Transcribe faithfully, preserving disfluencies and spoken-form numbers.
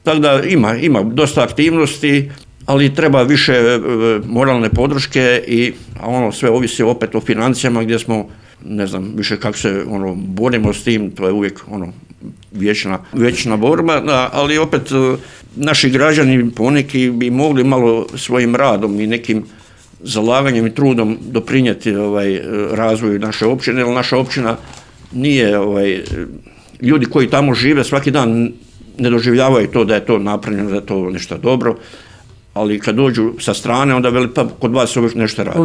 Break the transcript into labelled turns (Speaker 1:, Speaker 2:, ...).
Speaker 1: Tako da ima, ima dosta aktivnosti, ali treba više moralne podrške i ono sve ovisi opet o financijama gdje smo, ne znam više kako se ono borimo s tim, to je uvijek ono vječna, vječna borba, da, ali opet naši građani poneki bi mogli malo svojim radom i nekim zalaganjem i trudom doprinijeti ovaj razvoju naše općine, jer naša općina nije ovaj ljudi koji tamo žive svaki dan ne doživljavaju to da je to napravljeno, da je to nešto dobro, ali kad dođu sa strane onda veli pa kod vas se uvijek nešto radi.